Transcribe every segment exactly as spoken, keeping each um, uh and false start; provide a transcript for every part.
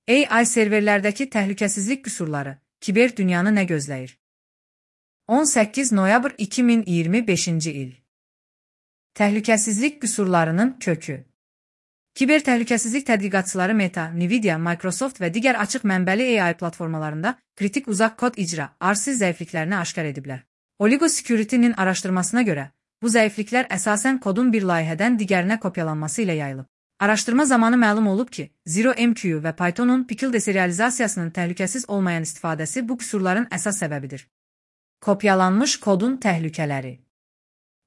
A I serverlərdəki təhlükəsizlik qüsurları, kiber dünyanı nə gözləyir? on səkkiz noyabr iki min iyirmi beşinci il. Təhlükəsizlik qüsurlarının kökü. Kiber təhlükəsizlik tədqiqatçıları Meta, Nvidia, Microsoft və digər açıq mənbəli A I platformalarında kritik uzaq kod icra, R C zəifliklərini aşkar ediblər. Oligo Security'nin araşdırmasına görə, bu zəifliklər əsasən kodun bir layihədən digərinə kopyalanması ilə yayılıb. Araşdırma zamanı məlum olub ki, Zero M Q və Python'un Pickle deserializasiyasının təhlükəsiz olmayan istifadəsi bu qüsurların əsas səbəbidir. Kopyalanmış kodun təhlükələri.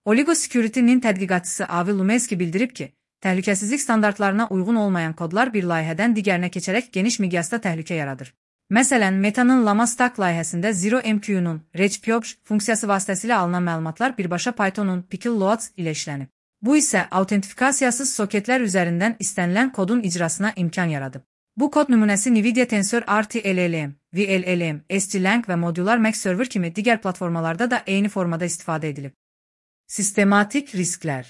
Oligo Security'nin tədqiqatçısı Avi Lumesky bildirib ki, təhlükəsizlik standartlarına uyğun olmayan kodlar bir layihədən digərinə keçərək geniş miqyasda təhlükə yaradır. Məsələn, Meta'nın Llama Stack layihəsində Zero M Q'nun Regpyobj funksiyası vasitəsilə alınan məlumatlar birbaşa Python'un Pickle Loads ilə işlənib. Bu isə autentifikasiyasız soketlər üzərindən istənilən kodun icrasına imkan yaradıb. Bu kod nümunəsi Nvidia Tensor R T L L M, V L L M, S G Lang və Modular Mac Server kimi digər platformalarda da eyni formada istifadə edilib. Sistematik risklər.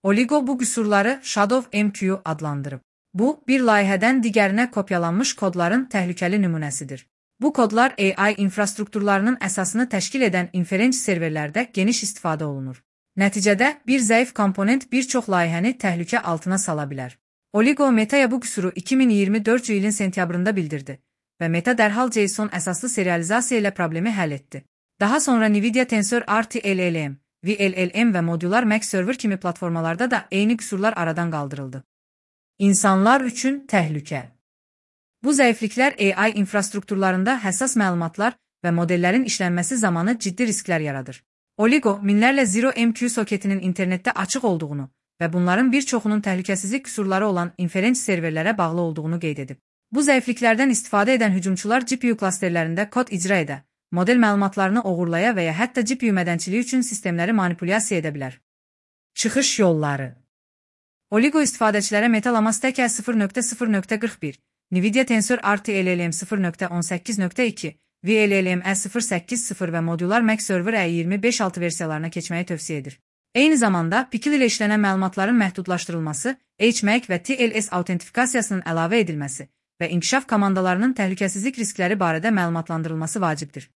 Oligo bu qüsurları Shadow M Q adlandırıb. Bu, bir layihədən digərinə kopyalanmış kodların təhlükəli nümunəsidir. Bu kodlar A I infrastrukturlarının əsasını təşkil edən inferenc serverlərdə geniş istifadə olunur. Nəticədə, bir zəif komponent bir çox layihəni təhlükə altına sala bilər. Oligo Meta'ya bu qüsuru iki min iyirmi dördüncü ilin sentyabrında bildirdi və Meta dərhal JSON əsaslı serializasiya ilə problemi həll etdi. Daha sonra Nvidia Tensor R T L L M, V L L M və Modular Mac Server kimi platformalarda da eyni qüsurlar aradan qaldırıldı. İnsanlar üçün təhlükə. Bu zəifliklər A I infrastrukturlarında həssas məlumatlar və modellərin işlənməsi zamanı ciddi risklər yaradır. Oligo, minlərlə Zero M Q soketinin internetdə açıq olduğunu və bunların bir çoxunun təhlükəsizlik qüsurları olan inferenc serverlərə bağlı olduğunu qeyd edib. Bu zəifliklərdən istifadə edən hücumçular G P U klasterlərində kod icra edə, model məlumatlarını oğurlaya və ya hətta G P U mədənçiliyi üçün sistemləri manipulyasiya edə bilər. Çıxış yolları. Oligo istifadəçilərə Meta Llama Stack sıfır nöqtə sıfır nöqtə qırx bir, Nvidia Tensor R T L L M sıfır nöqtə on səkkiz nöqtə iki, V L L M sıfır səkkiz sıfır və Modular Mac Server E iyirmi beş altı versiyalarına keçməyi tövsiyə edir. Eyni zamanda, Pickle ilə işlənən məlumatların məhdudlaşdırılması, H M A C və T L S autentifikasiyasının əlavə edilməsi və inkişaf komandalarının təhlükəsizlik riskləri barədə məlumatlandırılması vacibdir.